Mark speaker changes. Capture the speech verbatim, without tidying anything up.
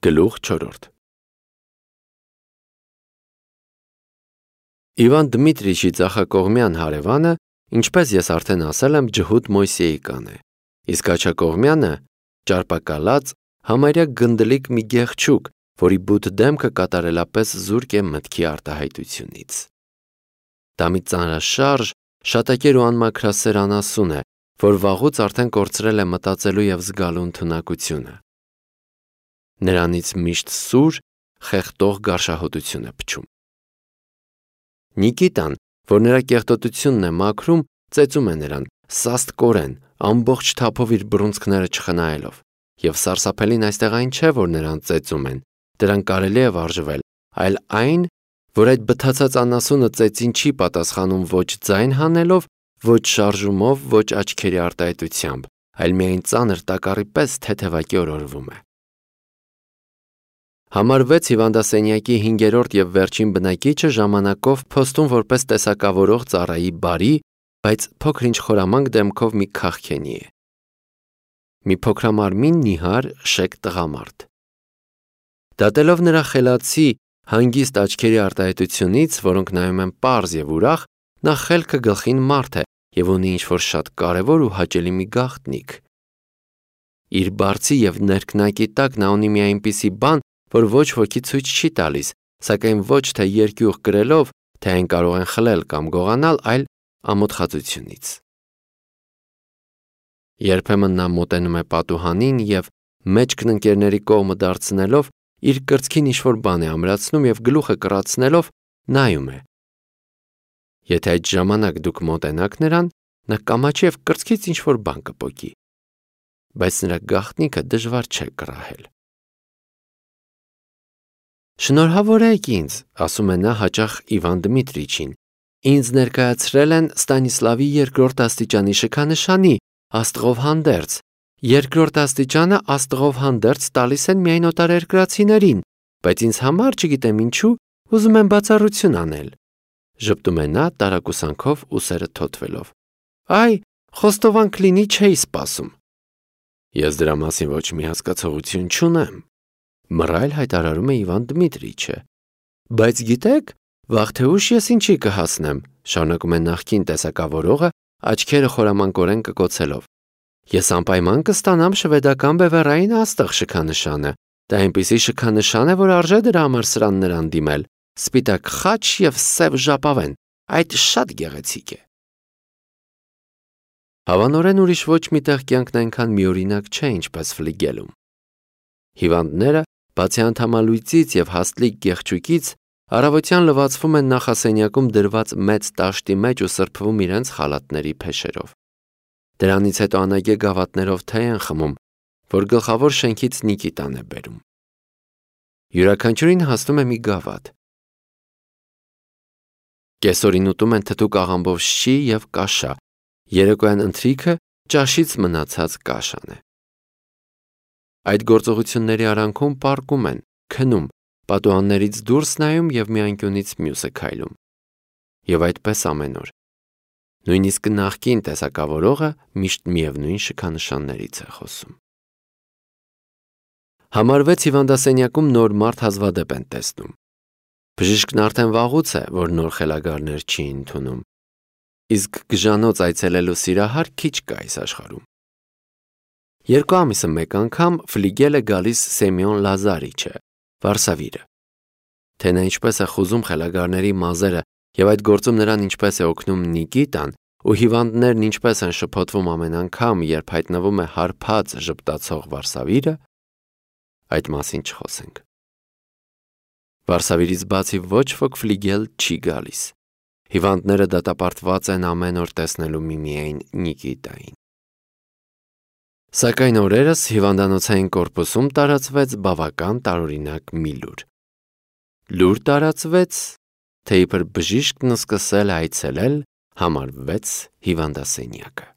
Speaker 1: Գլուխ չորրորդ Իվան Դմիտրիչի ձախակողմյան հարևանը, ինչպես ես արդեն ասել եմ, Ջհուդ Մոյսեյկան է, իսկ աջակողմյանը ճարպակալած, համարյա գնդլիկ մի գեղչուկ, որի բութ դեմքը կատարելապես զուրկ է մտքի արտահայտությունից։ Դա մի ծանրաշարժ, շատակեր ու անմաքրասեր անասուն է, որ վաղուց արդեն կորցրել է մտածելու և զգալու ընդունակությունը։ Նրանից միշտ սուր, խեղդող գարշահոտություն է փչում։ Նիկիտան, որ նրա կեղտոտությունն է մաքրում, ծեծում է նրան, սաստկորեն, ամբողջ թափով իր բռունցքները չխնայելով, և սարսափելին այստեղ այն չէ, որ նրան ծեծում են, դրան կարելի է վարժվել, այլ այն, որ այդ բթացած անասունը ծեծին չի պատասխանում ոչ ձայն հանելով, ոչ շարժումով, ոչ աչքերի արտահայտությամբ, այլ միայն ծանր տակառի պես թեթևակի օրորվում է։ Համար վեց հիվանդասենյակի հինգերորդ և վերջին բնակիչը ժամանակով փոստում որպես տեսակավորող ծառայի բարի, բայց փոքր-ինչ խորամանկ դեմքով մի քաղքենի է։ Մի փոքրամարմին նիհար շեկ տղամարդ։ Դատելով նրա խելացի, հանգիստ աչքերի արտահայտությունից, որոնք նայում են պարզ և ուրախ, նա խելքը գլխին մարդ է և ունի ինչ-որ շատ կարևոր ու հաճելի մի գաղտնիք։ Իր բարձի և ներքնակի տակ նա ունի մի այնպիսի բան, որ ոչ ոքի ցույց չի տալիս, սակայն ոչ թե երկյուղ կրելով, թե այն կարող են խլել կամ գողանալ, այլ ամոթխածությունից։ Երբեմն նա մոտենում է պատուհանին և, մեջքն ընկերների կողմը դարձնելով, իր կրծքին ինչ-որ բան է ամրացնում և գլուխը կռացնելով նայում է։ Եթե այդ ժամանակ դուք մոտենաք նրան, նա կամաչի և կրծքից ինչ-որ բան կպոկի, բայց նրա գաղտնիքը դժվար չէ կռահել։ Շնորհավոր եք ինձ, ասում է նա հաճախ Իվան Դմիտրիչին, ինձ ներկայացրել են Ստանիսլավի երկրորդ աստիճանի շքանշանի, աստղով հանդերձ, երկրորդ աստիճանը աստղով հանդերձ տալիս են միայն օտարերկրացիներին, բայց ինձ համար, չգիտեմ ինչու, ուզում եմ բացառություն անել, ժպտում է նա տարակուսանքով ուսերը թոթվելով։ Այ, խոստովան կլինի չէի սպասում։ Ես դրա մասին ոչ մի հասկացողություն չունեմ, մռայլ հայտարարում է Իվան Դմիտրիչը։ Բայց գիտեք, վաղ թե ուշ ես ինչի կհասնեմ, շարունակում է նախկին տեսակավորողը, աչքերը խորամանկորեն կկոցելով։ Ես անպայման կստանամ շվեդական բևեռային աստղ շքանշանը, դա այնպիսի շքանշան է, որ արժե դրա համար սրան նրան դիմել, սպիտակ խաչ և սև ժապավեն, այդ շատ գեղեցիկ է։ Հավանորեն ուրիշ ոչ մի տեղ կյանքն այնքան միօրինակ չէ, ինչպես Ֆլիգելում։ Հիվանդները, բացի անդամալույծից և հաստլիկ գեղչուկից, առավոտյան լվացվում են նախասենյակում դրված մեծ տաշտի մեջ ու սրբվում իրենց խալաթների փեշերով։ Դրանից հետո անագե գավաթներով թեյ են խմում, որ գլխավոր շենքից Նիկիտան է բերում։ Յուրաքանչյուրին հասնում է մի գավաթ։ Կեսօրին ուտում են թթուկ աղամբով շի և կաշա, երեկոյան ընթրիքը ճաշից մնացած կաշան է։ Այդ գործողությունների արանքում պառկում են, քնում, պատուհաններից դուրս նայում և մի անկյունից մյուսը քայլում։ Եվ այդպես ամեն օր։ Նույնիսկ նախկին տեսակավորողը միշտ միևնույն շքանշաններից է խոսում։ Համար վեց հիվանդասենյակում նոր մարդ հազվադեպ են տեսնում։ Բժիշկն արդեն վաղուց է, որ նոր խելագարներ չի ընդունում, իսկ գժանոց այցելելու սիրահար քիչ կա այս աշխարհում։ Երկու ամիսը մեկ անգամ Ֆլիգել է գալիս Սեմյոն Լազարիչը, վարսավիրը։ Թե նա ինչպես է խուզում խելագարների մազերը և այդ գործում նրան ինչպես է օգնում Նիկիտան, ու հիվանդներն ինչպես են շփոթվում ամեն անգամ, երբ հայտնվում է հարբած ժպտացող վարսավիրը, այդ մասին չխոսենք։ Վարսավիրից բացի ոչ ոք Ֆլիգել չի գալիս։ Հիվանդները դատապարտված են ամեն օր տեսնելու միմիայն Նիկիտային։ Սակայն օրերս հիվանդանոցային կորպուսում տարածվեց բավական տարօրինակ մի լուր։ Լուր տարածվեց, թե իբր բժիշկն սկսել է այցելել համար վեց հիվանդասենյակը։